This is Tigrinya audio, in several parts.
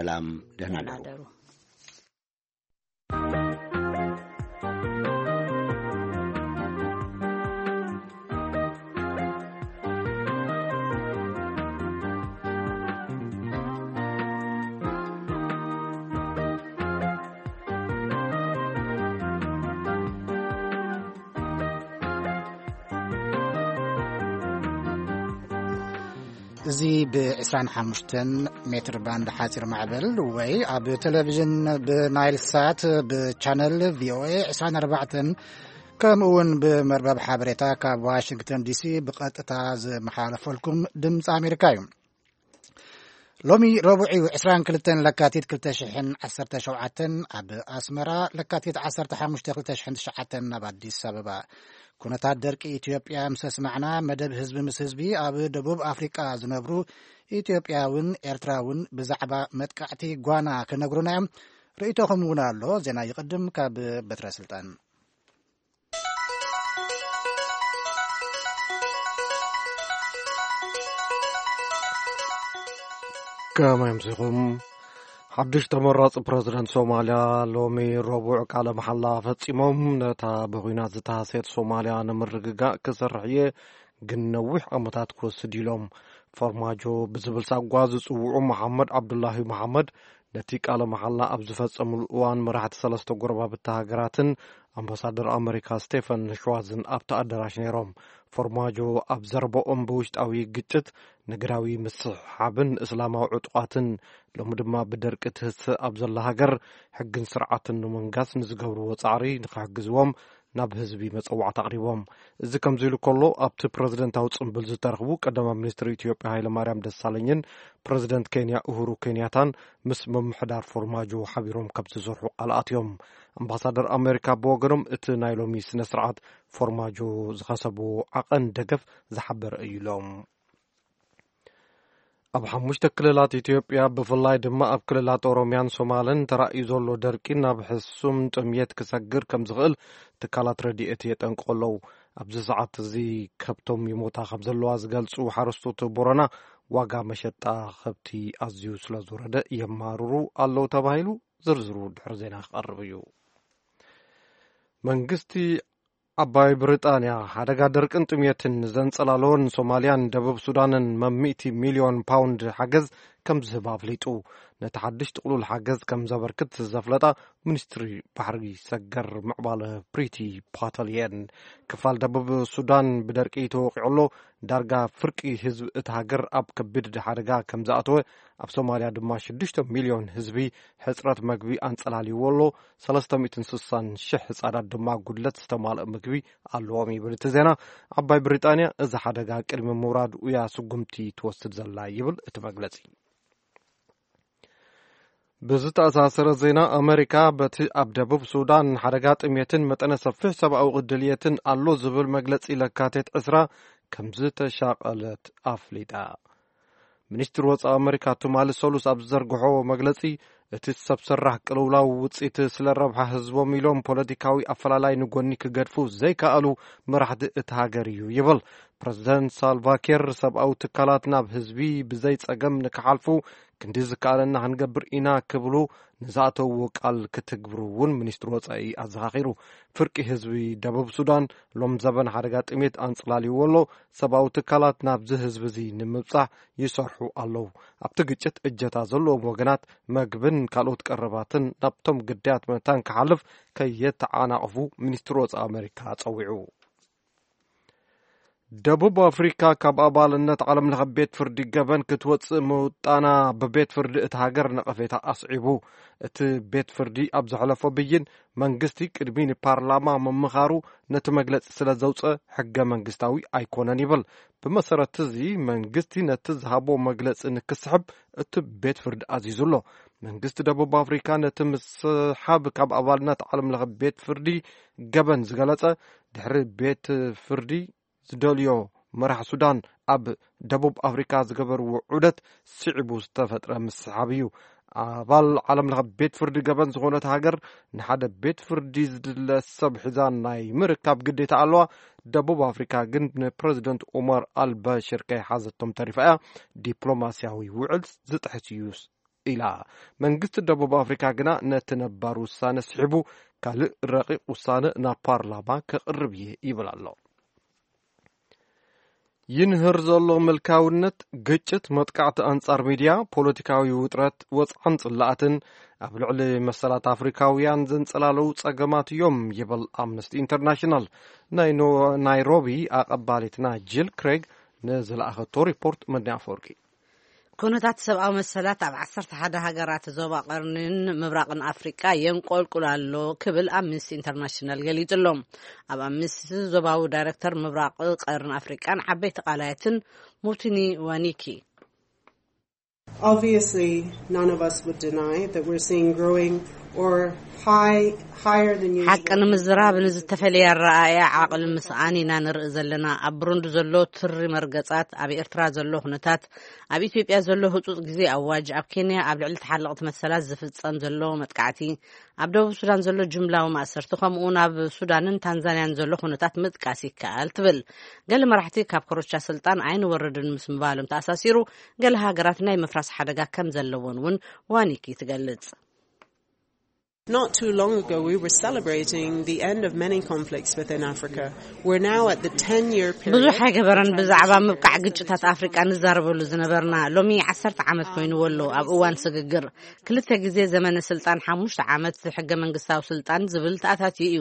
ሰላም፣ ደህና ደሩ። እዚ ብ25 ሜትር ባንድ ሓፂር ማዕበል ወይ ኣብ ቴሌቪዥን ብናይል ሳት ብቻነል ቪ ኦ ኤ 24፣ ከምኡ እውን ብመርበብ ሓበሬታ ካብ ዋሽንግተን ዲ ሲ ብቐጥታ ዝመሓላለፈልኩም ድምፂ ኣሜሪካ እዩ። ሎሚ ረቡዕ እዩ፣ 22 ለካቲት 2017። ኣብ ኣስመራ ለካቲት 15 2009፣ ኣብ ኣዲስ ኣበባ። ኩነታት ደርቂ ኢትዮጵያ ምስ ኣስማዕና፣ መደብ ህዝቢ ምስ ህዝቢ ኣብ ደቡብ ኣፍሪቃ ዝነብሩ ኢትዮጵያውን ኤርትራውን ብዛዕባ መጥቃዕቲ ጓና ክነግሩና እዮም። ርእይቶኹም እውን ኣሎ። ዜና ይቕድም ካብ በትረ ስልጣን። ከመይ ኣምሲኹም? ሓድሽ ተመራጺ ፕረዚደንት ሶማልያ ሎሚ ረቡዕ ቃለ መሓላ ፈጺሞም። ነታ ብኹናት ዝተሃስየት ሶማልያ ንምርግጋእ ክሰርሕ እየ፣ ግን ነዊሕ ዓመታት ክወስድ ኢሎም። ፎርማጆ ብዝብል ሳጓ ዝጽውዑ መሓመድ ዓብዱላሂ መሓመድ ነቲ ቃለ መሓላ ኣብ ዝፈጸሙሉ እዋን፣ መራሕቲ ሰለስተ ጎረባብቲ ሃገራትን ኣምባሳደር ኣመሪካ ስቴፈን ሽዋዝን ኣብቲ ኣዳራሽ ነይሮም። ፎርማጆ ኣብ ዘረባኦም፣ ብውሽጣዊ ግጭት፣ ንግዳዊ ምስሕሓብን እስላማዊ ዕጡቓትን፣ ሎሚ ድማ ብደርቂ ትህስእ ኣብ ዘላ ሃገር፣ ሕግን ስርዓትን ንምንጋስ ንዝገብርዎ ጻዕሪ ንኽሕግዝዎም ናብ ህዝቢ መጸዋዕታ ኣቕሪቦም። እዚ ከምዚ ኢሉ ከሎ፣ ኣብቲ ፕረዚደንታዊ ጽምብል ዝተረኽቡ ቀዳማይ ሚኒስትር ኢትዮጵያ ሃይለማርያም ደሳለኝን ፕረዚደንት ኬንያ ኡሁሩ ኬንያታን ምስ ምምሕዳር ፎርማጆ ሓቢሮም ከም ዝሰርሑ ቃል ኣትዮም። ኣምባሳደር ኣሜሪካ ብወገኖም፣ እቲ ናይ ሎሚ ስነ ስርዓት ፎርማጆ ዝኸሰብዎ ዓቐን ደገፍ ዝሓበረ እዩ ኢሎም። ኣብ ሓሙሽተ ክልላት ኢትዮጵያ፣ ብፍላይ ድማ ኣብ ክልላት ኦሮሚያን ሶማልን፣ ተራእዩ ዘሎ ደርቂ ናብ ሕሱም ጥምየት ክሰግር ከም ዝኽእል ትካላት ረድኤት የጠንቅቑ ኣለዉ። ኣብዚ ሰዓት እዚ ከብቶም ይሞታ ከም ዘለዋ ዝገልጹ ሓረስቶት ቦረና፣ ዋጋ መሸጣ ከብቲ ኣዝዩ ስለ ዝወረደ የማርሩ ኣለዉ ተባሂሉ። ዝርዝሩ ድሕሪ ዜና ክቐርብ እዩ። መንግስቲ ዓባይ ብሪጣንያ፣ ሓደጋ ደርቅን ጥምየትን ዘንጸላለወን ሶማልያን ደቡብ ሱዳንን መብ ሚእቲ ሚልዮን ፓውንድ ሓገዝ ከም ዝህብ ኣፍሊጡ። ነቲ ሓድሽ ጥቕሉል ሓገዝ ከም ዘበርክት ዘፍለጣ ሚኒስትሪ ባሕሪ ሰገር ምዕባለ ፕሪቲ ፓተል እየን። ክፋል ደቡብ ሱዳን ብደርቂ ተወቒዑ ኣሎ። ዳርጋ ፍርቂ ህዝቢ እቲ ሃገር ኣብ ከቢድ ሓደጋ ከም ዝኣተወ፣ ኣብ ሶማልያ ድማ ሽዱሽተ ሚልዮን ህዝቢ ሕጽረት መግቢ ኣንጸላልይዎ ኣሎ። ሰለስተ ሚእትን ስሳን ሽሕ ህጻናት ድማ ጉድለት ዝተማልኦ ምግቢ ኣለዎም ይብል እቲ ዜና። ዓባይ ብሪጣንያ፣ እዚ ሓደጋ ቅድሚ ምውራዱ እያ ስጉምቲ ትወስድ ዘላ ይብል እቲ መግለጺ። ብዝተኣሳሰረ ዜና፣ ኣመሪካ በቲ ኣብ ደቡብ ሱዳን ሓደጋ ጥሜትን መጠነ ሰፊሕ ሰብኣዊ ድልየትን ኣሎ ዝብል መግለጺ ለካቲት ዕስራ ከም ዝተሻቐለት ኣፍሊጣ። ሚኒስትሪ ወጻኢ ኣመሪካ ትማሊ ሰሉስ ኣብ ዝዘርግሖ መግለጺ፣ እቲ ሰብ ሰራሕ ቅልውላው ውጽኢት ስለ ረብሓ ህዝቦም ኢሎም ፖለቲካዊ ኣፈላላይ ንጎኒ ክገድፉ ዘይከኣሉ መራሕቲ እቲ ሃገር እዩ ይብል። ፕረዚደንት ሳልቫኪር፣ ሰብኣዊ ትካላት ናብ ህዝቢ ብዘይ ጸገም ንክሓልፉ ክንዲ ዝከኣለና ክንገብር ኢና ክብሉ ንዝኣተውዎ ቃል ክትግብሩ እውን ሚኒስትሪ ወጻኢ ኣዘኻኺሩ። ፍርቂ ህዝቢ ደቡብ ሱዳን ሎም ዘበን ሓደጋ ጥሜት ኣንጽላልይዎ ኣሎ። ሰብኣዊ ትካላት ናብዚ ህዝቢ እዚ ንምብጻሕ ይሰርሑ ኣለዉ። ኣብቲ ግጭት እጀታ ዘለዎም ወገናት መግብን ካልኦት ቀረባትን ናብቶም ግዳያት መታን ክሓልፍ ከየተዓናቕፉ ሚኒስትሪ ወጻኢ ኣመሪካ ጸዊዑ። ደቡብ ኣፍሪካ ካብ ኣባልነት ዓለም ለኸ ቤት ፍርዲ ገበን ክትወጽእ ምውጣና ብቤት ፍርዲ እቲ ሃገር ነቐፌታ ኣስዒቡ። እቲ ቤት ፍርዲ ኣብ ዘሕለፎ ብይን፣ መንግስቲ ቅድሚ ንፓርላማ ምምኻሩ ነቲ መግለጺ ስለ ዘውጸ ሕገ መንግስታዊ ኣይኮነን ይብል። ብመሰረት እዚ መንግስቲ ነቲ ዝሃቦ መግለጺ ንክስሕብ እቲ ቤት ፍርዲ ኣዚዙ ኣሎ። መንግስቲ ደቡብ ኣፍሪካ ነቲ ምስሓብ ካብ ኣባልነት ዓለም ለኸ ቤት ፍርዲ ገበን ዝገለጸ፣ ድሕሪ ቤት ፍርዲ ዝደልዮ መራሕ ሱዳን ኣብ ደቡብ ኣፍሪካ ዝገበርዎ ዑደት ስዒቡ ዝተፈጥረ ምስሓብ እዩ። ኣባል ዓለም ለኸ ቤት ፍርዲ ገበን ዝኾነት ሃገር ንሓደ ቤት ፍርዲ ዝድለ ሰብ ሒዛ ናይ ምርካብ ግዴታ ኣለዋ። ደቡብ ኣፍሪካ ግን ንፕረዚደንት ዑመር ኣልበሽር ከይሓዘቶም ተሪፋ እያ። ዲፕሎማስያዊ ውዕል ዝጥሕስ እዩ ኢላ። መንግስቲ ደቡብ ኣፍሪካ ግና ነቲ ነባር ውሳነ ስሒቡ ካልእ ረቂቕ ውሳነ ናብ ፓርላማ ከቕርብ እየ ይብል ኣሎ። ይንህር ዘሎ ምልካውነት፣ ግጭት፣ መጥቃዕቲ ኣንጻር ሚድያ፣ ፖለቲካዊ ውጥረት፣ ወጽዓን ጽላኣትን ኣብ ልዕሊ መሰላት ኣፍሪካውያን ዘንጸላለዉ ጸገማት እዮም ይብል ኣምነስቲ ኢንተርናሽናል። ናይ ኖ- ናይሮቢ ኣቐባሊትና ጂል ክሬግ ንዝለኣኸቶ ሪፖርት መድኒ ኣፈወርቂ። ኩነታት ሰብኣዊ መሰላት ኣብ ዓሰርተ ሓደ ሃገራት ዞባ ቀርኒን ምብራቕን ኣፍሪቃ የንቆልቁል ኣሎ ክብል ኣምነስቲ ኢንተርናሽናል ገሊጹ ኣሎ። ኣብ ኣምነስቲ ዞባዊ ዳይረክተር ምብራቕ ቀርን ኣፍሪቃን ዓበይቲ ቃላያትን ሙቲኒ ዋኒኪ። Obviously, none of us would deny that we're seeing growing or high, higher than usual. ሓቂ ንምዝራብ ንዝተፈለየ ኣረኣእያ ዓቕሊ ምስኣን ኢና ንርኢ ዘለና። ኣብ ብሩንዲ ዘሎ ትሪ መርገጻት፣ ኣብ ኤርትራ ዘሎ ኩነታት፣ ኣብ ኢትዮጵያ ዘሎ ህጹጽ ግዜ ኣዋጅ፣ ኣብ ኬንያ ኣብ ልዕሊ ተሓለቕቲ መሰላት ዝፍጸም ዘሎ መጥቃዕቲ፣ ኣብ ደቡብ ሱዳን ዘሎ ጅምላዊ ማእሰርቲ፣ ከምኡ እውን ኣብ ሱዳንን ታንዛንያን ዘሎ ኩነታት ምጥቃስ ይከኣል ትብል። ገለ መራሕቲ ካብ ኮረቻ ስልጣን ኣይንወርድን ምስ ምባሎም ተኣሳሲሩ፣ ገለ ሃገራት ናይ ምፍራስ ሓደጋ ከም ዘለወን እውን ዋኒኪ ትገልጽ። Not too long ago, we were celebrating the end of many conflicts within Africa. We're now at the ten year period. ብዙሕ ኣይገበረን። ብዛዕባ ምብቃዕ ግጭታት ኣፍሪቃ ንዛረበሉ ዝነበርና ሎሚ ዓሰርተ ዓመት ኮይንዎ ኣሎ። ኣብ እዋን ስግግር ክልተ ግዜ ዘመነ ስልጣን ሓሙሽተ ዓመት ሕገ መንግስታዊ ስልጣን ዝብል ተኣታትዩ እዩ።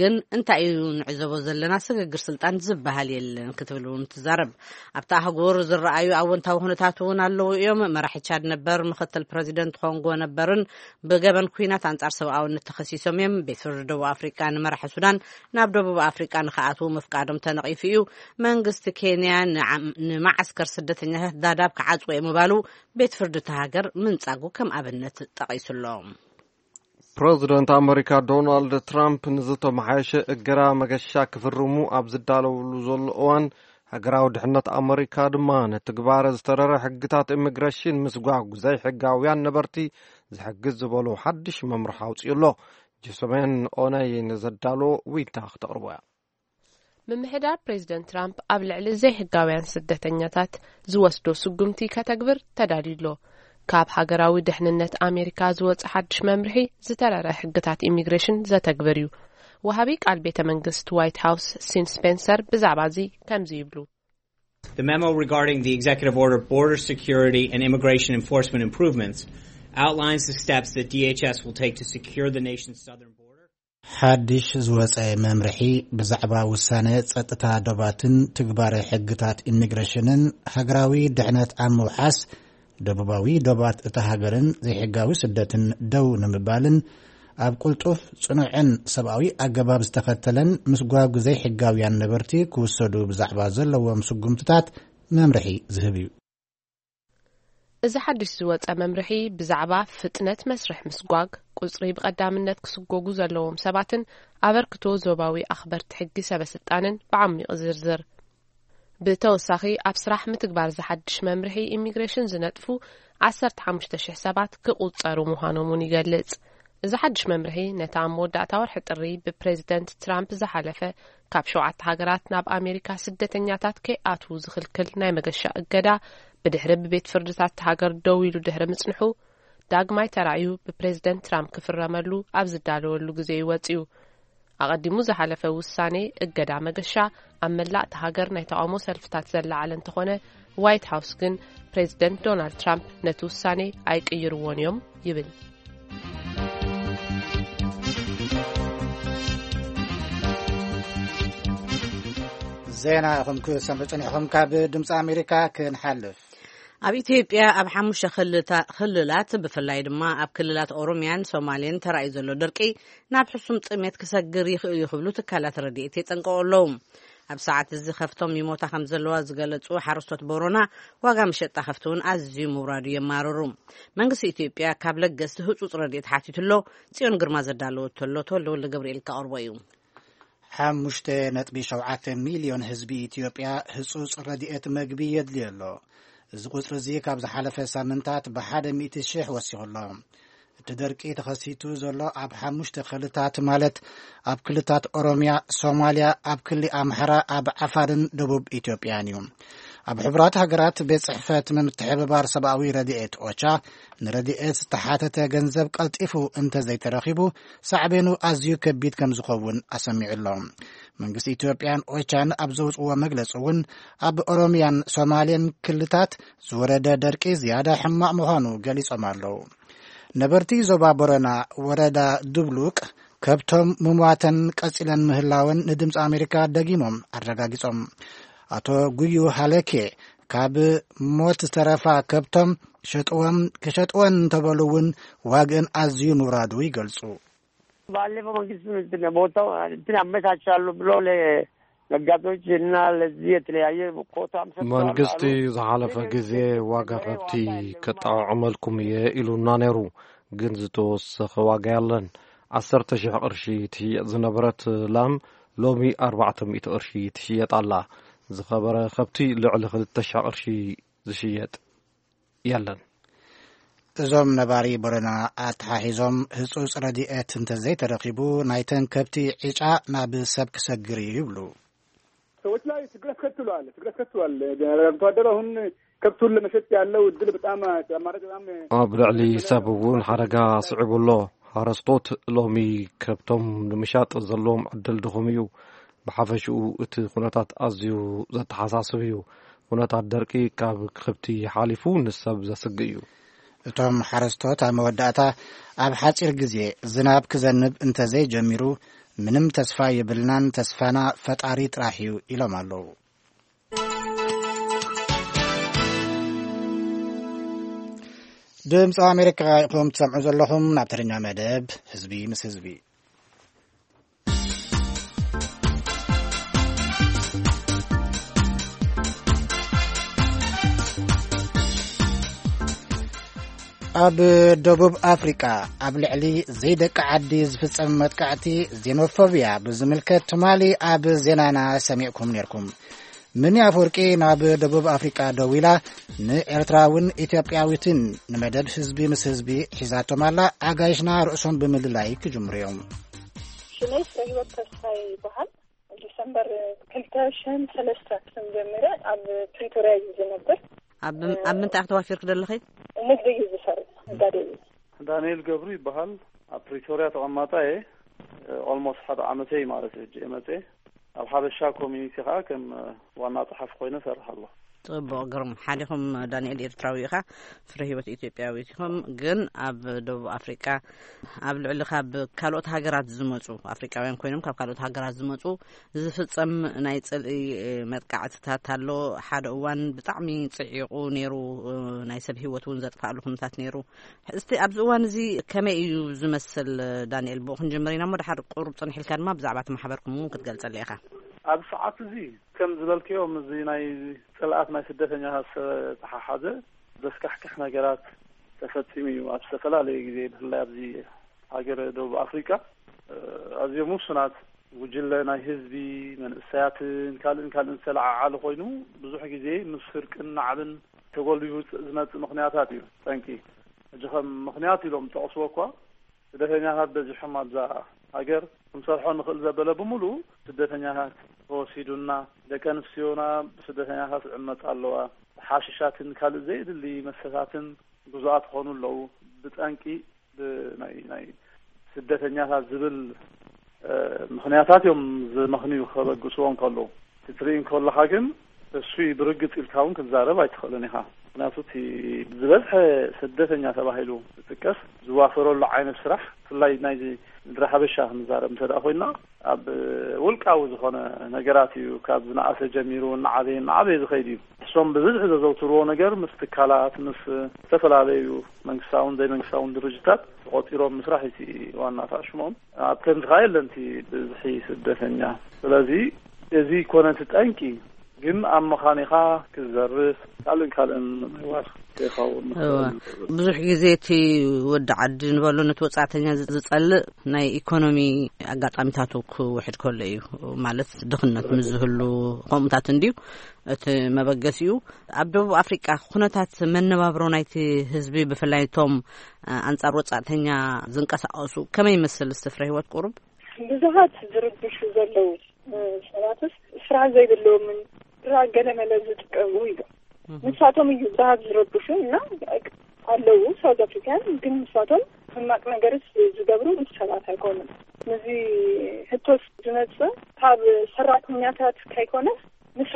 ግን እንታይ እዩ ንዕዘቦ ዘለና? ስግግር ስልጣን ዝበሃል የለን ክትብል እውን ትዛረብ። ኣብታ ኣህጉር ዝረኣዩ ኣወንታዊ ኩነታት እውን ኣለዉ እዮም። መራሒ ቻድ ነበር፣ ምክትል ፕረዚደንት ኮንጎ ነበርን ብገበን ኩናት ኣንጻር ሰብኣውነት ተኸሲሶም እዮም። ቤት ፍርዲ ደቡብ ኣፍሪቃ ንመራሒ ሱዳን ናብ ደቡብ ኣፍሪቃ ንክኣትዉ ምፍቃዶም ተነቒፉ እዩ። መንግስቲ ኬንያ ንዓ- ንማዓስከር ስደተኛታት ዳዳብ ክዓጽዎ እየ ምባሉ ቤት ፍርዲ እቲ ሃገር ምንጻጉ ከም ኣብነት ጠቒሱ ኣሎ። ፕረዚደንት ኣመሪካ ዶናልድ ትራምፕ ንዝተመሓየሸ እገዳ መገሻ ክፍርሙ ኣብ ዝዳለውሉ ዘሎ እዋን፣ ሃገራዊ ድሕነት ኣመሪካ ድማ ንትግባረ ዝተረረ ሕግታት ኢሚግሬሽን ምስጓግ ዘይሕጋውያን ነበርቲ ዝሕግዝ ዝበሉ ሓድሽ መምርሒ ኣውፅኡ ኣሎ። ጅሶሜን ኦነይ ንዘዳሎ ዊንታ ክተቕርቦ እያ። ምምሕዳር ፕሬዚደንት ትራምፕ ኣብ ልዕሊ ዘይሕጋውያን ስደተኛታት ዝወስዶ ስጉምቲ ከተግብር ተዳልዩ ኣሎ። ካብ ሃገራዊ ድሕንነት ኣሜሪካ ዝወፀ ሓድሽ መምርሒ ዝተረረ ሕግታት ኢሚግሬሽን ዘተግብር እዩ። ወሃቢ ቃል ቤተ መንግስት ዋይት ሃውስ ሲን ስፔንሰር ብዛዕባ እዚ ከምዚ ይብሉ። The memo regarding the executive order, Border Security and Immigration Enforcement Improvements, outlines the steps that D H S will take to secure the nation's southern border. ሓድሽ ዝወጸ መምርሒ ብዛዕባ ውሳነ ጸጥታ ዶባትን ትግባረ ሕግታት ኢሚግሬሽንን ሃገራዊ ድሕነት ኣብ ምውሓስ፣ ደቡባዊ ዶባት እታ ሃገርን ዘይሕጋዊ ስደትን ደው ንምባልን ኣብ ቁልጡፍ፣ ጽኑዕን ሰብኣዊ ኣገባብ ዝተኸተለን ምስጓግ ዘይሕጋውያን ነበርቲ ክውሰዱ ብዛዕባ ዘለዎም ስጉምትታት መምርሒ ዝህብ እዩ። እዚ ሓድሽ ዝወጸ መምርሒ ብዛዕባ ፍጥነት መስርሕ ምስጓግ፣ ቁጽሪ ብቐዳምነት ክስጎጉ ዘለዎም ሰባትን ኣበርክቶ ዞባዊ ኣኽበርቲ ሕጊ ሰበ ስልጣንን ብዓሚቕ ዝርዝር። ብተወሳኺ ኣብ ስራሕ ምትግባር ዝሓድሽ መምርሒ ኢሚግሬሽን ዝነጥፉ ዓሰርተ ሓሙሽተ ሽሕ ሰባት ክቑጸሩ ምዃኖም እውን ይገልጽ። እዚ ሓድሽ መምርሒ ነቲ ኣብ መወዳእታ ወርሒ ጥሪ ብፕሬዚደንት ትራምፕ ዝሓለፈ ካብ ሸውዓተ ሃገራት ናብ ኣሜሪካ ስደተኛታት ከይኣትዉ ዝኽልክል ናይ መገሻ እገዳ ብድሕሪ ብቤት ፍርድታት ሃገር ደው ኢሉ ድሕሪ ምጽንሑ ዳግማይ ተራእዩ ብፕሬዚደንት ትራምፕ ክፍረመሉ ኣብ ዝዳለወሉ ግዜ እዩ ወጺኡ። ኣቐዲሙ ዝሓለፈ ውሳኔ እገዳ መገሻ ኣብ መላእ እታ ሃገር ናይ ተቓውሞ ሰልፍታት ዘለዓለ እንተኾነ፣ ዋይት ሃውስ ግን ፕሬዚደንት ዶናልድ ትራምፕ ነቲ ውሳኔ ኣይቅይርዎን እዮም ይብል። ዜና ኢኹም ክሰምዑ ጽኒሕኹም። ካብ ድምፂ ኣሜሪካ ክንሓልፍ። ኣብ ኢትዮጵያ ኣብ ሓሙሽተ ክልላት ብፍላይ ድማ ኣብ ክልላት ኦሮሚያን ሶማሌን ተራእዩ ዘሎ ድርቂ ናብ ሕሱም ጥሜት ክሰግር ይኽእል እዩ ክብሉ ትካላት ረድኤት የጠንቀቑ ኣለዉ። ኣብ ሰዓት እዚ ከፍቶም ይሞታ ከም ዘለዋ ዝገለጹ ሓረስቶት ቦሮና፣ ዋጋ መሸጣ ከፍቲ እውን ኣዝዩ ምውራዱ የማርሩ። መንግስቲ ኢትዮጵያ ካብ ለገስቲ ህጹጽ ረድኤት ሓቲቱ ኣሎ። ጽዮን ግርማ ዘዳለወቶ ኣሎ፣ ተወልደ ወልደ ገብርኤል ከቕርቦ እዩ። ሓሙሽተ ነጥቢ ሸውዓተ ሚልዮን ህዝቢ ኢትዮጵያ ህጹጽ ረድኤት መግቢ የድልዮ ኣሎ። እዚ ቁጽሪ እዚ ካብ ዝሓለፈ ሳምንታት ብሓደ ሚእቲ ሽሕ ወሲኹ ኣሎ። እቲ ደርቂ ተኸሲቱ ዘሎ ኣብ ሓሙሽተ ክልታት፣ ማለት ኣብ ክልታት ኦሮሚያ፣ ሶማልያ፣ ኣብ ክሊ ኣምሓራ፣ ኣብ ዓፋርን ደቡብ ኢትዮጵያን እዩ። ኣብ ሕቡራት ሃገራት ቤት ጽሕፈት ምምትሕብባር ሰብኣዊ ረድኤት ኦቻ፣ ንረድኤት ዝተሓተተ ገንዘብ ቀልጢፉ እንተዘይተረኺቡ፣ ሳዕቤኑ ኣዝዩ ከቢድ ከም ዝኸውን ኣሰሚዑ ኣሎ። መንግስቲ ኢትዮጵያን ኦቻን ኣብ ዘውጽዎ መግለጺ እውን፣ ኣብ ኦሮሚያን ሶማሌን ክልታት ዝወረደ ደርቂ ዝያዳ ሕማቕ ምዃኑ ገሊጾም ኣለዉ። ነበርቲ ዞባ ቦረና፣ ወረዳ ዱብሉቅ፣ ከብቶም ምሟተን ቀጺለን ምህላወን ንድምፂ ኣሜሪካ ደጊሞም ኣረጋጊጾም። ኣቶ ጉዩ ሃለኬ፣ ካብ ሞት ዝተረፋ ከብቶም ሸጥወም፣ ክሸጥወን እንተበሉ እውን ዋግእን ኣዝዩ ምውራዱ ይገልጹ። ባለፈው መንግስት እንትን ቦታው እንትን አመቻቻለሁ ብሎ ለነጋዴዎች እና ለዚህ የተለያየ ኮታም ሰጥተዋል መንግስቲ አሉ። ዝሓለፈ ግን ግዜ ዋጋ ከብቲ ከጣዕዕመልኩም እየ ኢሉና ነይሩ። ግን ዝተወሰኸ ዋጋ የለን። ዓሰርተ ሺሕ ቅርሺ ትሽየጥ ዝነበረት ላም ሎሚ ኣርባዕተ ሚእቲ ቅርሺ ትሽየጥ ኣላ። ዝኸበረ ከብቲ ልዕሊ ክልተ ሺሕ ቅርሺ ዝሽየጥ የለን። እዞም ነባሪ ቦረና ኣተሓሒዞም፣ ህጹጽ ረድኤት እንተዘይተረኺቡ፣ ናይተን ከብቲ ዕጫ ናብ ሰብ ክሰግር እዩ ይብሉ። ሰዎች ላይ ስግረት ከትሏል፣ ስግረት ከትሏል። አርብቶ አደር አሁን ከብቱን ለመሸጥ ያለው እድል በጣም አማራጭ በጣም ኣብ ልዕሊ ሰብ እውን ሓደጋ ስዒቡ ኣሎ። ሓረስቶት ሎሚ ከብቶም ንምሻጥ ዘለዎም ዕድል ድኹም እዩ። ብሓፈሽኡ እቲ ኩነታት ኣዝዩ ዘተሓሳስብ እዩ። ኩነታት ደርቂ ካብ ከብቲ ሓሊፉ ንሰብ ዘስግእ እዩ። እቶም ሓረስቶት ኣብ መወዳእታ፣ ኣብ ሓጺር ግዜ ዝናብ ክዘንብ እንተዘይጀሚሩ፣ ምንም ተስፋ የብልናን፣ ተስፋና ፈጣሪ ጥራሕ እዩ ኢሎም ኣለዉ። ድምፂ ኣሜሪካ ኢኹም ትሰምዑ ዘለኹም። ናብ ተረኛ መደብ ህዝቢ ምስ ህዝቢ። ኣብ ደቡብ ኣፍሪቃ፣ ኣብ ልዕሊ ዘይደቂ ዓዲ ዝፍጸም መጥቃዕቲ ዜኖፎብያ ብዝምልከት ትማሊ ኣብ ዜናና ሰሚዕኩም ነርኩም። ምኒ ኣፈወርቂ ናብ ደቡብ ኣፍሪቃ ደዊላ፣ ንኤርትራውን ኢትዮጵያዊትን ንመደብ ህዝቢ ምስ ህዝቢ ሒዛቶም ኣላ። ኣጋይሽና ርእሶም ብምልላይ ክጅምሩ እዮም። ሽመይ ፍረ ህይወት ተስፋ ይበሃል። ዲሰምበር ክልተ ሽሕን ሰለስተ ከም ጀሚረ ኣብ ፕሪቶርያ እዩ ዝነብር። ኣብ፣ ኣብ ምንታይ ኢኺ ተዋፊርኪ ዘለኺ? ንግዲ እዩ ዝሰርሕ፣ ነጋዴ እዩ። ዳንኤል ገብሩ ይበሃል። ኣብ ፕሪቶርያ ተቐማጣ እየ። ኦልሞስት ሓደ ዓመተይ ማለት እዩ፣ ሕጂ እየ መፅየ። ኣብ ሓበሻ ኮሚኒቲ ከዓ ከም ዋና ጸሓፊ ኮይነ እሰርሕ ኣለኹ። ጽቡቕ፣ ግሩም። ሓዲኹም ዳንኤል ኤርትራዊ ኢኻ፣ ፍረ ህይወት ኢትዮጵያዊት ኢኹም። ግን ኣብ ደቡብ ኣፍሪቃ፣ ኣብ ልዕሊ ካብ ካልኦት ሃገራት ዝመጹ፣ ኣፍሪቃውያን ኮይኖም ካብ ካልኦት ሃገራት ዝመጹ፣ ዝፍጸም ናይ ጽልኢ መጥቃዕትታት ኣሎ። ሓደ እዋን ብጣዕሚ ጽዒቑ ነይሩ፣ ናይ ሰብ ህይወት እውን ዘጥፋእሉ ኩነታት ነይሩ። እስቲ ኣብዚ እዋን እዚ ከመይ እዩ ዝመስል? ዳንኤል፣ ብኡ ክንጅምር ኢና እሞ፣ ድሓር ቁሩብ ጽንሕ ኢልካ ድማ ብዛዕባ እቲ ማሕበርኩም እውን ክትገልጸልና ኢኻ። ኣብ ሰዓት እዚ፣ ከም ዝበልክዮ፣ ምስዚ ናይ ጽልኣት ናይ ስደተኛታት ዝተሓሓዘ ዘስካሕክሕ ነገራት ተፈጺሙ እዩ። ኣብ ዝተፈላለየ ግዜ፣ ብፍላይ ኣብዚ ሃገረ ደቡብ ኣፍሪቃ፣ እ፣ ኣዝዮም ውሱናት ጉጅለ ናይ ህዝቢ፣ መንእሰያትን ካልእን ካልእን ዝተለዓዓለ ኮይኑ፣ ብዙሕ ግዜ ምስ ስርቅን ናዕብን ተጎልቢቡ ዝመጽእ ምኽንያታት እዩ። ጠንቂ፣ ሕጂ ከም ምኽንያት ኢሎም ዝጠቕስዎ እኳ፣ ስደተኛታት በዚሖም ኣብዛ ሃገር፣ ክንሰርሖ ንኽእል ዘበለ ብምሉኡ ስደተኛታት ተወሲዱና፣ ደቂ ኣንስትዮና ብስደተኛታት ይዕመጻ ኣለዋ፣ ሓሽሻትን ካልእ ዘየድሊ መስተታትን ግዙኣት ክኾኑ ኣለዉ። ብጠንቂ ብናይ፣ ናይ ስደተኛታት ዝብል፣ እ፣ ምኽንያታት እዮም ዝመኽንዩ ከበግስዎ እንከለዉ። ክትርኢ እንከለኻ ግን፣ እሱ ብርግጽ ኢልካ እውን ክትዛረብ ኣይትኽእልን ኢኻ። ምኽንያቱ፣ እቲ ዝበዝሐ ስደተኛ ተባሂሉ ዝጥቀስ ዝዋፈረሉ ዓይነት ስራሕ፣ ብፍላይ ናይዚ ምድሪ ሓበሻ ክንዛረብ እንተ ደኣ ኮይንና፣ ኣብ ውልቃዊ ዝኾነ ነገራት እዩ፣ ካብ ዝነኣሰ ጀሚሩ እናዓበየ እናዓበየ ዝኸይድ እዩ። እሶም ብብዝሒ ዘዘውትርዎ ነገር ምስ ትካላት፣ ምስ ዝተፈላለዩ መንግስታውን ዘይመንግስታውን ድርጅታት ተቖጺሮም ምስራሕ እዩ እቲ ዋና ኣታዕሽሞም። ኣብ ከምዚ ኸኣ የለን እቲ ብዝሒ ስደተኛ። ስለዚ እዚ ይኮነ እቲ ጠንቂ፣ ግን ኣብ መኻኒኻ ክዘርፍ ካልእን ካልእን ምሕዋስ ከይኸውን እወ። ይኽእል። ብዙሕ ግዜ እቲ ወዲ ዓዲ ንበሎ ነቲ ወጻእተኛ ዝ-፣ ዝጸልእ ናይ ኢኮኖሚ ኣጋጣሚታቱ ክውሕድ ከሎ እዩ። ማለት ድኽነት ምስ ዝህሉ ከምኡታት እንድዩ እቲ መበገሲኡ። ኣብ ደቡብ ኣፍሪቃ ኩነታት መነባብሮ ናይቲ ህዝቢ ብፍላይ እቶም፣ እ፣ ኣንጻር ወጻእተኛ ዝንቀሳቐሱ ከመይ ይመስል? እስቲ ፍረ ህይወት ቁሩብ። ብዙሓት ዝርብሹ ዘለዉ፣ እ፣ ሰባትስ ስራሕ ዘይብልዎምን ድራግ ገለመለ ዝጥቀሙ እዮም። ንሳቶም እዩ ብሃብ ዝረብሹ እና ኣለዉ ሳውዝ ኣፍሪካን፣ ግን ንሳቶም ሕማቅ ነገርስ ዝገብሩ ምስ ሰባት ኣይኮኑም። ነዚ ሕቶስ ዝመጽእ ካብ ሰራሕተኛታት ከይኮነስ ንሳ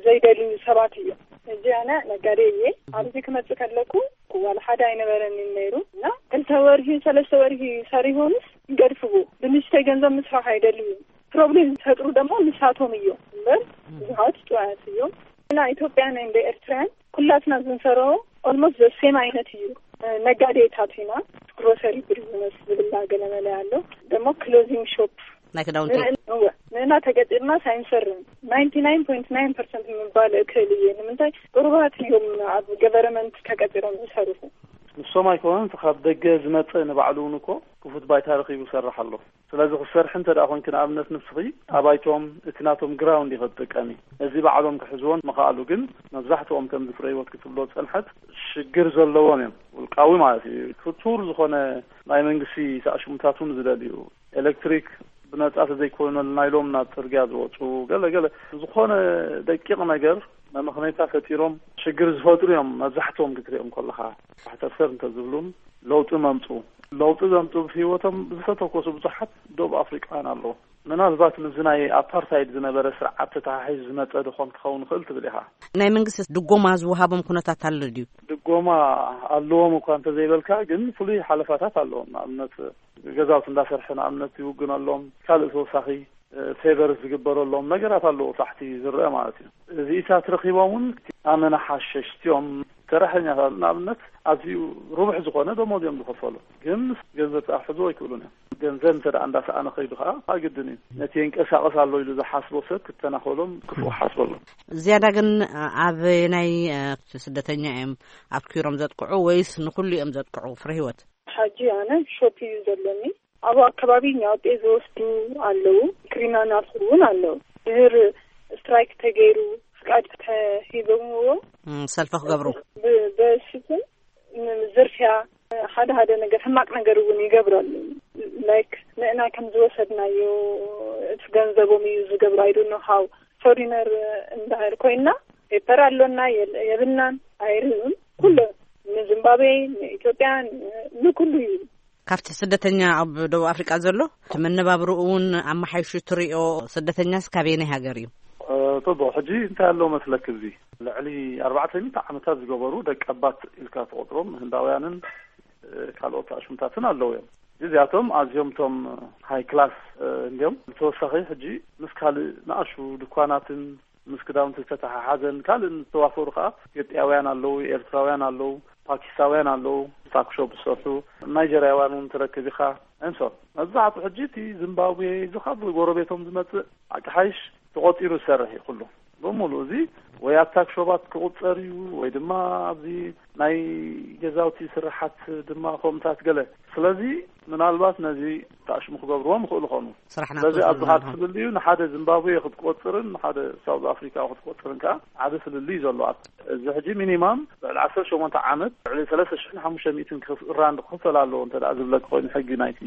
ዘይደልዩ ሰባት እዮም። እዚ ኣነ ነጋዴ እየ። ኣብዚ ክመጽእ ከለኩ ዋላ ሓደ ኣይነበረን ነይሩ እና ክልተ ወርሂ ሰለስተ ወርሂ ሰሪሆምስ ይገድፍዎ። ብንሽተይ ገንዘብ ምስራሕ ኣይደልዩ። ፕሮብሌም ዝፈጥሩ ደሞ ንሳቶም እዮም እምበር ብዙሃት ጥዋያት እዮም። እና ኢትዮጵያን እንደ ኤርትራያን ኩላትና ዝንሰሮ ኦልሞስት ዘሴም ዓይነት እዩ። ነጋዴታት ኢና። ግሮሰሪ ቢዝነስ ዝብላ ገለመለ ኣሎ። ደሞ ክሎዚንግ ሾፕ ናይ ክዳውንቲ። ንእና ተቀጢርና ሳይንሰርም ናይንቲ ናይን ፖይንት ናይን ፐርሰንት ምባል እክእል እየ። ንምንታይ ቅሩባት እዮም ኣብ ገቨርመንት ተቀጢሮም ዝሰርሑ። ንሶም ኣይኮነን፣ እቲ ካብ ደገ ዝመጸ ንባዕሉ እውን እኮ ክፉት ባይታ ረኺቡ ይሰርሕ ኣሎ። ስለዚ ክሰርሕ እንተ ደኣ ኮንኪ፣ ንኣብነት ንስኺ ኣባይቶም እቲ ናቶም ግራውንድ ኢኸ ትጥቀሚ። እዚ ባዕሎም ክሕዝዎን ምኽኣሉ ግን መብዛሕትኦም ከምዚ ፍረ ህይወት ክትብሎ ዝጸንሐት ሽግር ዘለዎም እዮም። ውልቃዊ ማለት እዩ። ክቱር ዝኾነ ናይ መንግስቲ ሳዕሽሙታት እውን ዝደልዩ ኤሌክትሪክ ብነጻ ተዘይኮነልና ኢሎም ናብ ጽርግያ ዝወጹ ገለ ገለ ዝኾነ ደቂቕ ነገር መመኽነይታ ፈጢሮም ሽግር ዝፈጥሩ እዮም። መብዛሕትኦም ክትሪኦም ከለኻ ባሕተርተር እንተዝብሉን ለውጢ መምፁ ለውጢ ዘምፁ ብህይወቶም ዝተተኮሱ ብዙሓት ደቡብ ኣፍሪቃውያን ኣለዉ። ምናልባት ምስዚ ናይ ኣፓርታይድ ዝነበረ ስርዓት ተተሓሒዙ ዝመፀ ድኾን ክኸውን ይኽእል ትብል ኢኻ? ናይ መንግስቲ ድጎማ ዝወሃቦም ኩነታት ኣሎ ድዩ? ድጎማ ኣለዎም እኳ እንተዘይበልካ ግን ፍሉይ ሓለፋታት ኣለዎም። ንኣብነት ገዛውቲ እንዳሰርሐ ንኣብነት ይውግነሎም፣ ካልእ ተወሳኺ ፌቨር ዝግበረሎም ነገራት ኣለዉ ታሕቲ ዝረአ ማለት እዩ። እዚኢታት ረኺቦም እውን ኣመና ሓሸሽቲ እዮም። ሰራሕተኛታት ንኣብነት ኣዝዩ ርቡሕ ዝኾነ ደሞዝ እዮም ዝኸፈሉ፣ ግን ምስ ገንዘብ ተኣሕዝዎ ኣይክእሉን እዮም። ገንዘብ እንተ ደኣ እንዳሰኣነ ከይዱ ከዓ ኣግድን እዩ። ነቲ የንቀሳቐስ ኣሎ ኢሉ ዝሓስቦ ሰብ ክተናኸሎም ክፉእ ሓስበሎም። ዝያዳ ግን ኣብ ናይ ስደተኛ እዮም ኣትኪሮም ዘጥቅዑ ወይስ ንኩሉ እዮም ዘጥቅዑ? ፍረ ህይወት። ሓጂ ኣነ ሾፕ እዩ ዘለኒ። ኣብ ኣከባቢ ኛውጤ ዝወስዱ ኣለዉ። ክሪሚናልስ እውን ኣለዉ። ድህር ስትራይክ ተገይሩ ፍቃድ ተሂቦምዎ ሰልፊ ክገብሩ። በሽትን ዝርፍያ ሓደ ሓደ ነገር ሕማቅ ነገር እውን ይገብሩ ኣለዉ። ላይክ ንእና ከም ዝወሰድናዮ እቲ ገንዘቦም እዩ ዝገብሩ። ኣይዶኖ ሃው ፎሪነር እንዳህር ኮይና ፔፐር ኣሎና የብልናን ኣይርእዩን። ኩሎ ንዚምባብዌ ንኢትዮጵያ ንኩሉ እዩ። ካብቲ ስደተኛ ኣብ ደቡብ ኣፍሪቃ ዘሎ እቲ መነባብርኡ እውን ኣመሓይሹ ትሪኦ። ስደተኛስ ካበየናይ ሃገር እዩ? ጽቡቕ። ሕጂ እንታይ ኣለዎ መስለክ? እዚ ልዕሊ ኣርባዕተ ሚእቲ ዓመታት ዝገበሩ ደቀባት ኢልካ ትቆጽሮም ህንዳውያንን ካልኦት ኣሽሙታትን ኣለዉ እዮም። እዚኣቶም ኣዝዮም ቶም ሃይ ክላስ እንዲዮም። ብተወሳኺ ሕጂ ምስ ካልእ ንኣሹ ድኳናትን ምስ ክዳውንቲ ዝተተሓሓዘን ካልእን ዝተዋፈሩ ከዓ ኢትዮጵያውያን ኣለዉ፣ ኤርትራውያን ኣለዉ፣ ፓኪስታውያን ኣለዉ፣ ታክሾፕ ዝሰርሑ ናይጀርያውያን እውን ትረክብ ኢኻ። እንሶ መብዛሕትኡ ሕጂ እቲ ዚምባብዌ እዚ ካብ ጎረቤቶም ዝመፅእ ኣቅሓይሽ ተቆፂሩ ዝሰርሕ እዩ። ኩሉ ብምሉእ እዚ ወይ ኣብ ታክሾባት ክቁፀር እዩ ወይ ድማ ኣብዚ ናይ ገዛውቲ ስራሓት ድማ ከምታት ገለ። ስለዚ ምናልባት ነዚ ታሽሙ ክገብርዎም ይኽእሉ ኾኑ። ስራሕና ስለዚ ኣብዚ ክትወስድና ካብ ትብል እዩ ንሓደ ዚምባብዌ ክትቆፅርን ንሓደ ሳውዝ ኣፍሪካ ክትቆፅርን ከዓ ዓቢ ፍልልይ እዩ ዘሎ። ኣብ እዚ ሕጂ ሚኒማም ልዕሊ ዓሰርተ ሸሞንተ ዓመት ልዕሊ ሰለስተ ሽሕን ሓሙሽተ ሚእትን ራንድ ክኽፈል ኣለዎ እንተ ደኣ ዝብለክ ኮይኑ ሕጊ ናይቲ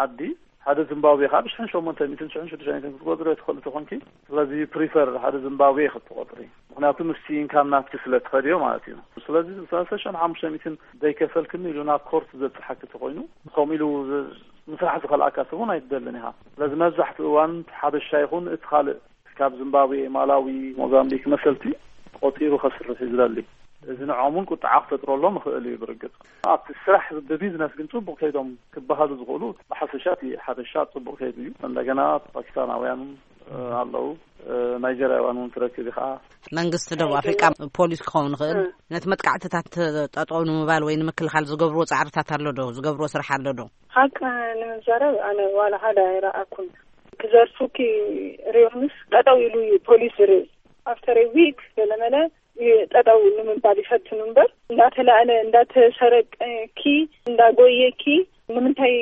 ዓዲ ሓደ ዚምባብዌ ካብ ሽሕን ሸሞንተ ሚእትን ሽሕን ሽዱሽተ ሚእትን ክትቆፅሮ ትኽእል ተኾንኪ። ስለዚ ፕሪፈር ሓደ ዚምባብዌ ክትቆፅሪ ምክንያቱ ምስቲ ኢንካም ናትኪ ስለ ትኸድዮ ማለት እዩ። ስለዚ ሰለስተ ሽሕን ሓሙሽተ ሚእትን ዘይከፈልክኒ ኢሉ ናብ ኮርት ዘብፅሓኪ ተኾይኑ ከምኡ ኢሉ ምስራሕ ዝኸልኣካ ሰብ እውን ኣይትደልን ኢኻ። ስለዚ መብዛሕትኡ እዋን ሓበሻ ይኹን እቲ ካልእ ካብ ዚምባብዌ፣ ማላዊ፣ ሞዛምቢክ መሰልቲ ቆፂሩ ከስርሕ እዩ ዝደሊ። እዚ ንዕኦም እውን ቁጥዓ ክፈጥረሎም ይኽእል እዩ። ብርግፅ ኣብቲ ስራሕ ብቢዝነስ ግን ፅቡቅ ከይዶም ክበሃሉ ዝኽእሉ ብሓፈሻ እቲ ሓበሻ ፅቡቅ ከይዱ እዩ። እንደገና ፓኪስታናውያን ኣለዉ፣ ናይጀርያውያን እውን ትረክብ ኢኻ። መንግስቲ ደቡብ ኣፍሪቃ ፖሊስ ክኸውን ይኽእል ነቲ መጥቃዕትታት ጠጠው ንምባል ወይ ንምክልኻል ዝገብርዎ ፃዕርታት ኣሎ ዶ? ዝገብርዎ ስራሕ ኣሎ ዶ? ሓቂ ንምዛረብ ኣነ ዋላ ሓደ ኣይረኣኩን። ክዘርፉኪ ሪዮንስ ጠጠው ኢሉ እዩ ፖሊስ ዝርኢ። ኣፍተር ዊክ ገለመለ ጠጠው ንምባል ይፈትኑ እምበር እንዳተላእለ እንዳተሰረቀኪ እንዳጎየኪ ንምንታይ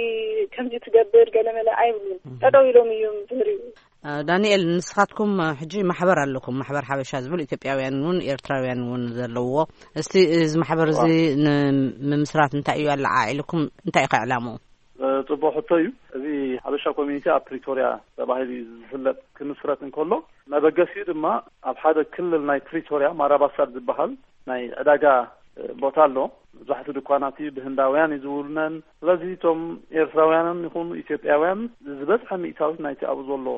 ከምዚ ትገብር ገለመለ ኣይብሉን። ጠጠው ኢሎም እዮም ዝርእዩ። ዳንኤል፣ ንስኻትኩም ሕጂ ማሕበር ኣለኩም፣ ማሕበር ሓበሻ ዝብል ኢትዮጵያውያን እውን ኤርትራውያን እውን ዘለውዎ። እስቲ እዚ ማሕበር እዚ ንምምስራት እንታይ እዩ ኣለዓዒልኩም? እንታይ እዩ ዕላምኡ? ጽቡቕ ሕቶ እዩ። እዚ ሓበሻ ኮሚኒቲ ኣብ ፕሪቶርያ ተባሂሉ እዩ ዝፍለጥ። ክምስረት እንከሎ መበገሲኡ ድማ ኣብ ሓደ ክልል ናይ ፕሪቶርያ ማራባሳድ ዝበሃል ናይ ዕዳጋ ቦታ ኣሎ። መብዛሕትኡ ድኳናት እዩ ብህንዳውያን እዩ ዝውነን። ስለዚ እቶም ኤርትራውያንን ይኹኑ ኢትዮጵያውያን ዝበዝሐ ሚእታዊት ናይቲ ኣብኡ ዘሎ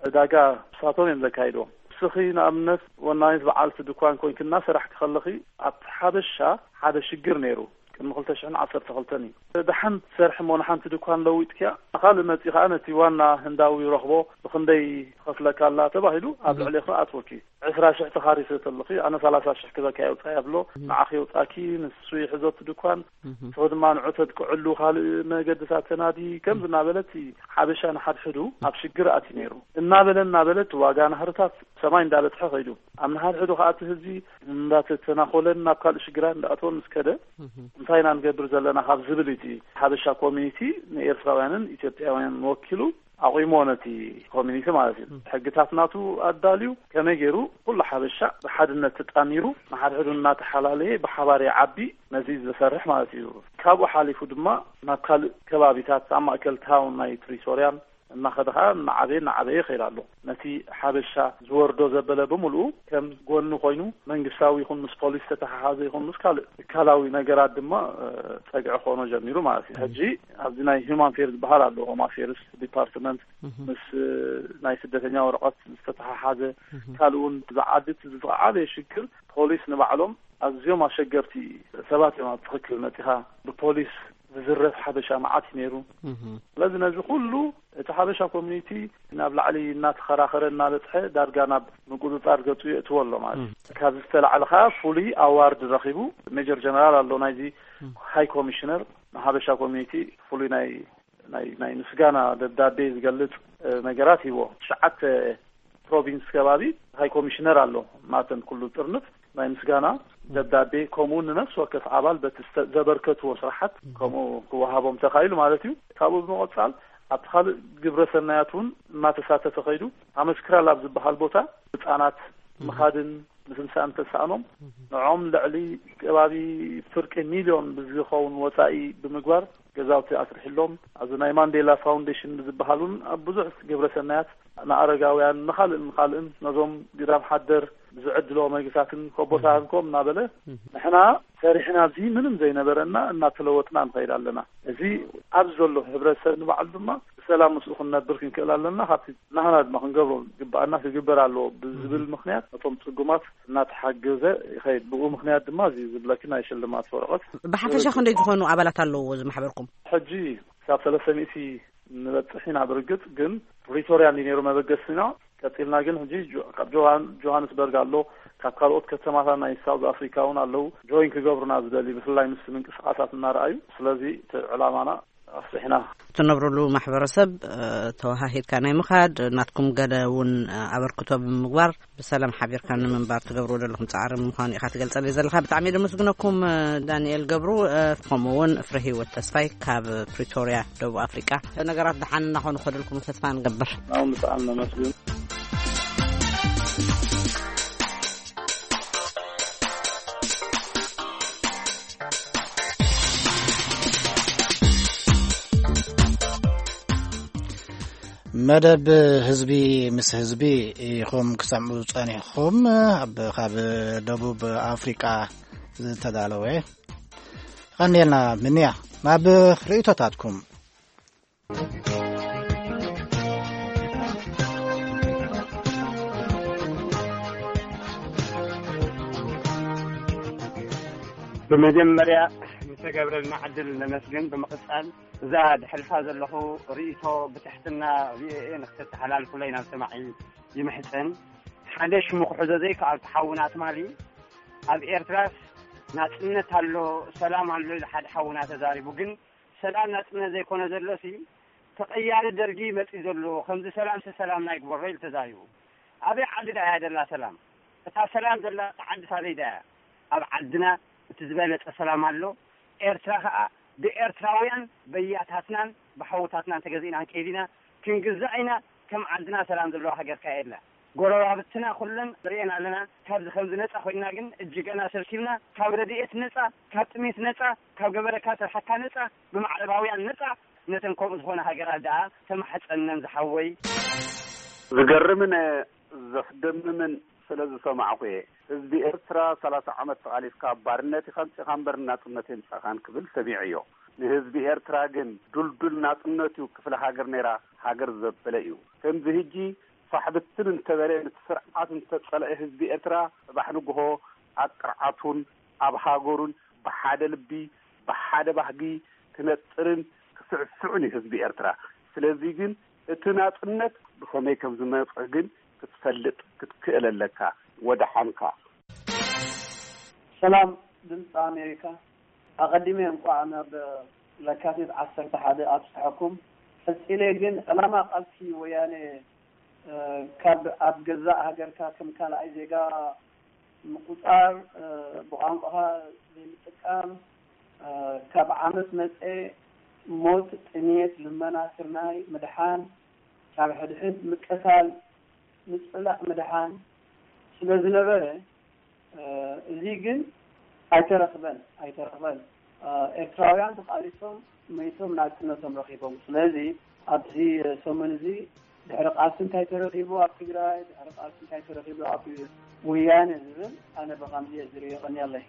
ዕዳጋ ብሳቶም እዮም ዘካይድዎ። ንስኺ ንኣብነት ወናኒት በዓልቲ ድኳን ኮንኪ እናሰራሕኪ ከለኺ ኣብቲ ሓበሻ ሓደ ሽግር ነይሩ። ቅድሚ ክልተ ሽሕን ዓሰርተ ክልተን እዩ። ደሓን ትሰርሒ እሞ ንሓንቲ ድኳን ለዊጥኪያ፣ ካልእ መጺ ከኣ ነቲ ዋና ህንዳዊ ረኽቦ ብኽንደይ ትኸፍለካ ኣላ ተባሂሉ ኣብ ልዕሌኺ ኣትወኪ። ዕስራ ሽሕ ተኻሪሰ ተለኺ ኣነ ሰላሳ ሽሕ ክበካ የውጻእ ብሎ ንዓኺ የውጻኪ፣ ንሱ ይሕዞ እቲ ድኳን፣ ንስኺ ድማ ንዑ ተጥቅዕሉ ካልእ መገድታት ተናዲ ከምዚ እናበለት ሓበሻ ንሓድሕዱ ኣብ ሽግር ኣትዩ ነይሩ። እናበለ እናበለ እቲ ዋጋ ናህርታት ሰማይ እንዳበጽሐ ኸይዱ። ኣብ ንሓድሕዱ ኸኣ እቲ ህዝቢ እንዳተተናኾለን ናብ ካልእ ሽግራት እንዳኣተወን ምስ ከደ እንታይ ኢና ንገብር ዘለና ካብ ዝብል እቲ ሓበሻ ኮሚኒቲ ንኤርትራውያንን ኢትዮጵያውያንን ወኪሉ ኣቑሞ ነቲ ኮሚኒቲ ማለት እዩ። ሕግታት ናቱ ኣዳልዩ ከመይ ገይሩ ኩሉ ሓበሻ ብሓድነት ተጣሚሩ ንሓድሕዱ እናተሓላለየ ብሓባር ይዓቢ ነዚ ዝሰርሕ ማለት እዩ። ካብኡ ሓሊፉ ድማ ናብ ካልእ ከባቢታት ኣብ ማእከል ታውን ናይ ፕሪቶርያን እናኸደ ኸዓ እናዓበየ እናዓበየ ይኸይድ ኣሎ። ነቲ ሓበሻ ዝወርዶ ዘበለ ብምልኡ ከም ጎኒ ኮይኑ መንግስታዊ ይኹን ምስ ፖሊስ ተተሓሓዘ ይኹን ምስ ካልእ ትካላዊ ነገራት ድማ ጸግዒ ክኾኖ ጀሚሩ ማለት እዩ። ሕጂ ኣብዚ ናይ ሁማን ፌር ዝበሃል ኣሎ፣ ሆም ኣፌርስ ዲፓርትመንት፣ ምስ ናይ ስደተኛ ወረቐት ዝተተሓሓዘ ካልእ እውን ብዝዓቢ እቲ ዝዓበየ ሽግር ፖሊስ ንባዕሎም ኣዝዮም ኣሸገርቲ ሰባት እዮም። ኣብ ትኽክል መፂኻ ብፖሊስ ዝዝረፍ ሓበሻ መዓት እዩ ነይሩ። ስለዚ ነዚ ኩሉ እቲ ሓበሻ ኮሚኒቲ ናብ ላዕሊ እናተኸራኸረ እናበፅሐ ዳርጋ ናብ ምቁፅፃር ገፁ የእትዎ ኣሎ ማለት እዩ። ካብዚ ዝተላዕለ ከዓ ፍሉይ ኣዋርድ ረኺቡ ሜጀር ጀነራል ኣሎ ናይዚ ሃይ ኮሚሽነር ንሓበሻ ኮሚኒቲ ፍሉይ ናይ ናይ ናይ ምስጋና ደብዳቤ ዝገልጽ ነገራት ሂቦ። ትሽዓተ ፕሮቪንስ ከባቢ ሃይ ኮሚሽነር ኣሎ ማተን ኩሉ ጥርንፍ ናይ ምስጋና ደብዳቤ ከምኡ ንነፍሲ ወከፍ ኣባል በቲ ዘበርከትዎ ስራሓት ከምኡ ክወሃቦም ተኻኢሉ ማለት እዩ። ካብኡ ብምቕጻል ኣብቲ ካልእ ግብረ ሰናያት እውን እናተሳተፈ ከይዱ ኣመስክራል ኣብ ዝበሃል ቦታ ህፃናት ምኻድን ምስምሳን ተሳእኖም ንዖም ልዕሊ ከባቢ ፍርቂ ሚልዮን ብዝኸውን ወፃኢ ብምግባር ገዛውቲ ኣስርሕሎም ኣብዚ ናይ ማንዴላ ፋውንዴሽን ብዝበሃል እውን ኣብ ብዙሕ ግብረ ሰናያት ንኣረጋውያን ንኻልእን ንኻልእን ነዞም ግዳም ሓደር ብዝዕድልዎ መግብታትን ኮቦታን ኮም እናበለ ንሕና ሰሪሕና ኣብዚ ምንም ዘይነበረና እናተለወጥና ንኸይድ ኣለና። እዚ ኣብዚ ዘሎ ሕብረተሰብ ንባዕሉ ድማ ብሰላም ምስኡ ክንነብር ክንክእል ኣለና። ካብቲ ናህና ድማ ክንገብሮ ዝግበኣና ክግበር ኣለዎ ብዝብል ምክንያት ነቶም ፅጉማት እናተሓገዘ ይኸይድ። ብኡ ምክንያት ድማ እዚ ዝብለኪ ናይ ሽልማት ወረቐት ብሓፈሻ ክንደይ ዝኾኑ ኣባላት ኣለዎ እዚ ማሕበርኩም? ሕጂ ክሳብ ሰለስተ ሚእቲ ንበፅሕ ኢና። ብርግፅ ግን ፕሪቶርያ እንዲ ነይሩ መበገስና። ቀፂልና ግን ሕጂ ካብ ጆሃንስበርግ ኣሎ፣ ካብ ካልኦት ከተማታት ናይ ሳውዝ ኣፍሪካ እውን ኣለዉ። ጆይን ክገብሩና ዝደሊ ብፍላይ ምስ ምንቅስቃሳት እናረኣዩ። ስለዚ እቲ ዕላማና ኣስፍሕና ትነብርሉ ማሕበረሰብ ተወሃሂድካ ናይ ምኻድ ናትኩም ገለ እውን ኣበርክቶ ብምግባር ብሰላም ሓቢርካ ንምንባር ትገብርዎ ዘለኹም ፃዕሪ ምዃኑ ኢኻ ትገልፀለይ ዘለኻ። ብጣዕሚ የመስግነኩም ዳንኤል ገብሩ፣ ከምኡ እውን ፍረ ህይወት ተስፋይ ካብ ፕሪቶርያ ደቡብ ኣፍሪቃ። ነገራት ደሓን እናኾኑ ከደልኩም ተስፋ ንገብር። ናውን ብጣዕሚ ነመስግን። መደብ ህዝቢ ምስ ህዝቢ ኢኹም ክሰምዑ ጸኒሕኹም። ኣብ ካብ ደቡብ ኣፍሪቃ ዝተዳለወ ቀንዴልና ምንያ ናብ ርእይቶታትኩም። ብመጀመርያ ዝተገብረልና ዕድል ነመስግን። ብምቕጻል እዛ ድሕልፋ ዘለኹ ርእይቶ ብትሕትና ቪኦኤ ንክተተሓላልፉለይ ናብ ሰማዒ ይምሕጸን። ሓደ ሽሙ ክሕዞ ዘይከኣልኩ ሓውና ትማሊ ኣብ ኤርትራስ ናጽነት ኣሎ ሰላም ኣሎ ኢሉ ሓደ ሓውና ተዛሪቡ። ግን ሰላም ናጽነት ዘይኮነ ዘሎሲ ተቐያሪ ደርጊ መጺኡ ዘሎ ከምዚ ሰላምሲ ሰላምና ይግበሮ ኢሉ ተዛሪቡ። ኣበይ ዓዲ ደኣ እያ ደላ ሰላም? እታ ሰላም ዘላ ዓዲ ሳበይ ደኣ እያ? ኣብ ዓድና እቲ ዝበለጸ ሰላም ኣሎ። ኤርትራ ከኣ ብኤርትራውያን በያታትናን ብሓውታትናን ተገዚእና ክንከይድ ኢና፣ ክንግዛእ ኢና። ከም ዓድና ሰላም ዘለዋ ሃገር ከኣ የላ። ጎረባብትና ኩለን ንርእየን ኣለና። ካብዚ ከምዚ ነጻ ኮይንና ግን እጅገና ሰልሲልና፣ ካብ ረድኤት ነጻ፣ ካብ ጥሜት ነጻ፣ ካብ ገበረካ ስርሓካ ነጻ፣ ብማዕረባውያን ነጻ፣ ነተን ከምኡ ዝኾነ ሃገራት ደኣ ተማሕጸነን ዝሓወይ። ዝገርምን ዘስደምምን ስለ ዝሰማዕኩ እየ። ህዝቢ ኤርትራ ሰላሳ ዓመት ተቓሊስካ ኣብ ባርነት ኢኻ ኣምጺኻ እምበር ናጽነት የምጻኻን ክብል ሰሚዐዮ። ንህዝቢ ኤርትራ ግን ዱልዱል ናጽነት እዩ። ክፍለ ሃገር ነይራ ሃገር ዘበለ እዩ። ከምዚ ህጂ ፋሕ ብትን እንተበለ፣ ነቲ ስርዓት እንተጸልአ ህዝቢ ኤርትራ፣ ጽባሕ ንግሆ ኣብ ቅርዓቱን ኣብ ሃገሩን ብሓደ ልቢ፣ ብሓደ ባህጊ ክነጥርን ክስዕስዕን እዩ ህዝቢ ኤርትራ። ስለዚ ግን እቲ ናጽነት ብኸመይ ከም ዝመጸ ግን ክትፈልጥ ክትክእል ኣለካ። ወደሓንካ። ሰላም ድምፂ ኣሜሪካ። ኣቐዲመ እንቋዕ ናብ ለካቲት ዓሰርተ ሓደ ኣብፅሐኩም። ቀፂለ ግን ዕላማ ቃልሲ ወያነ፣ እ፣ ካብ ኣብ ገዛእ ሃገርካ ከም ካልኣይ ዜጋ ምቁፃር፣ እ፣ ብቋንቋኻ ዘይምጥቃም፣ እ፣ ካብ ዓመፅ መፀ ሞት፣ ጥሜት፣ ልመና፣ ስርናይ ምድሓን፣ ካብ ሕድሕድ ምቅታል፣ ምፅላእ ምድሓን ስለ ዝነበረ፣ እ፣ እዚ ግን ኣይተረኽበን፣ ኣይተረኽበን። እ፣ ኤርትራውያን ተቓሊሶም መይቶም ናጽነቶም ረኺቦም። ስለዚ ኣብዚ ሰሙን እዚ ድሕሪ ቃልሲ እንታይ ተረኺቡ ኣብ ትግራይ፣ ድሕሪ ቃልሲ እንታይ ተረኺቡ ኣብ ወያነ ዝብል ኣነ ብኸምዚ እየ ዝርእዮ። የቐንየለይ።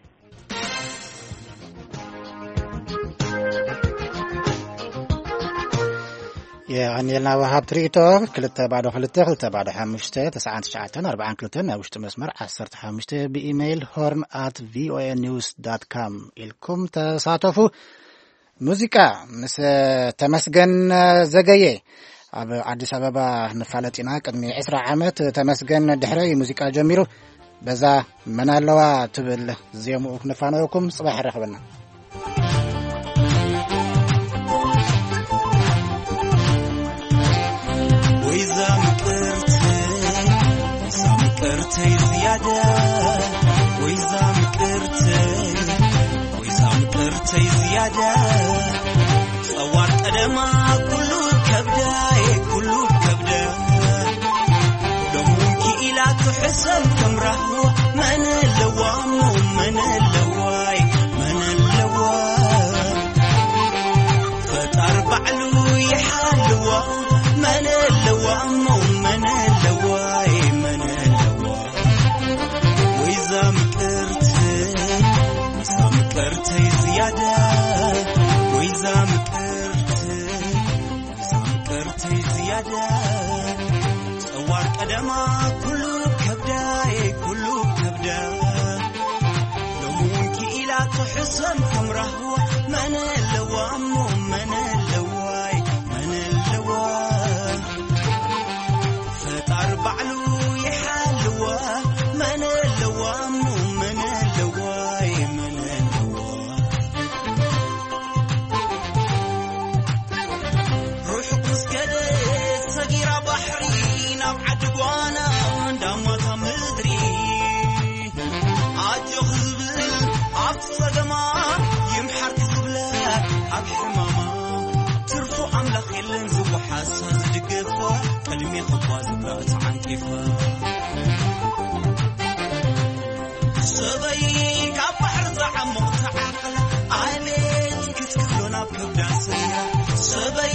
የቐንየልና ወሃብ ትርኢቶ። ክልተ ባዶ ክልተ፣ ክልተ ባዶ ሓሙሽተ፣ ተስዓን ትሽዓተን ኣርባዓን ክልተን፣ ናይ ውሽጢ መስመር ዓሰርተ ሓሙሽተ፣ ብኢሜይል ሆርን ኣት ቪኦኤ ኒውስ ዳት ካም ኢልኩም ተሳተፉ። ሙዚቃ ምስ ተመስገን ዘገየ ኣብ ኣዲስ ኣበባ ንፋለጥ ኢና። ቅድሚ ዕስራ ዓመት ተመስገን ድሕረይ ሙዚቃ ጀሚሩ። በዛ መን ኣለዋ ትብል ዜምኡ ክንፋነወኩም። ጽባሕ ይራኸበና። ወይዛ ምቅርተይ፣ ወይዛ ምቅርተይ ዝያዳ፣ ወይዛ ምቅርተይ፣ ወይዛ ምቅርተይ ዝያዳ፣ ጸዋር ቀደማ ኩሉ ከብዳ፣ ኩሉ ከብዳ። ሎሚ እውን ክኢላ ትሕሰብ ከም ራህዋ፣ መን ኣለዋ እሞ መን ኣለዋይ፣ መን ኣለዋ? ፈጣር ባዕሉ ይሓልዋ፣ መን ኣለዋ እሞ መን ኣለዋይ፣ መን ኣለዋ? ወይዛ ምቅርተይ፣ ወይዛ ምቅርተይ ዝያዳ፣ ወይዛ ምቅርተይ፣ ወይዛ ምቅርተይ ዝያዳ፣ ጸዋር ቀደማ ኩሉ ከብዳ፣ ኩሉ ከብዳ። ሎሚ እውን ክኢላ ትሕሰም ከም ራህዋ፣ መን ኣለዋ እሞ መን ኣለዋይ፣ መን ኣለዋ? ፈጣር ባዕሉ ይሓልዋ፣ መን ኣለዋ እሞ መን ኣለዋ፣ መን ኣለዋ? ርሑቕ ምስ ከደት ሰጊራ ባሕሪ ናብ ዓዲ ጓና እንዳማታ ምድሪ ኣጆኺ ዝብል ኣብቲ ጸገማ ይምሓርኪ ዝብለ ኣብ ሕማማ ትርፉ ኣምላኽ የለን ዝወሓሳ ዝድግፋ ቅድሜ ክባ ዝብላ ተዓንቂፋ ሰበይ ካብ ባሕሪ ዝዓሙቕ ተዓቕላ ኣቤት ክትክብሎ ናብ ከብዳ ሰያ ሰበይ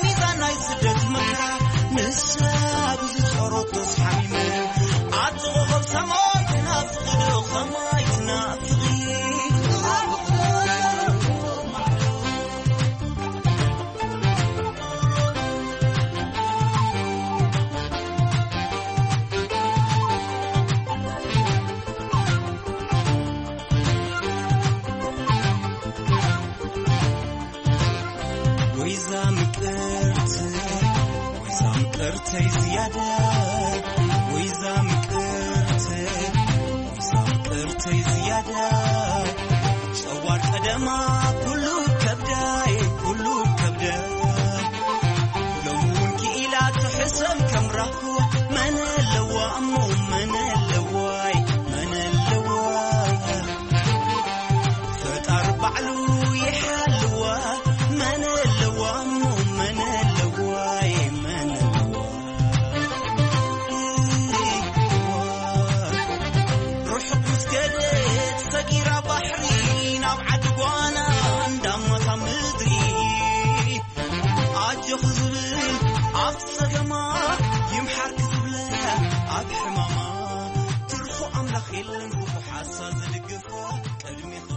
ሚዛን ናይ ስደት መከራ ንሳ ብዝጸረቶስ ሓሚመ ኣጥቕቖም ሰማይ ትናፍቕ ዶ ኸማይ ትናፍቕ ወይዛ ምቅርት ወይዛ ምቅርተይ ዝያዳ ወይዛ ምቅርት ወይዛ ምቅርተይ ዝያዳ ጸዋር ቀደማ ኩሉ ከብዳይ ኩሉ ከብዳ ሎሚ እውን ክኢላ ትሕሰም ከም ራህዋ መን ኣለዋ እሞ መን ኣለዋይ መን ኣለዋ ፈጣር ባዕሉ ይሓልዋ መን ኣለዋ እሞ መን ኣለዋይ መን ኣለዋ ርሑቕ ምስ ከደት ሰጊራ ባሕሪ ናብ ዓዲ ጓና እንዳ ኣጆኺ ዝብል ኣብ ጸገማ ይምሓርኪ ዝብለ ኣብ ሕማማ ትርፎ ኣምላኽ የለን ክፉ ሓሳብ ዝድግፍ ቅድሚኺ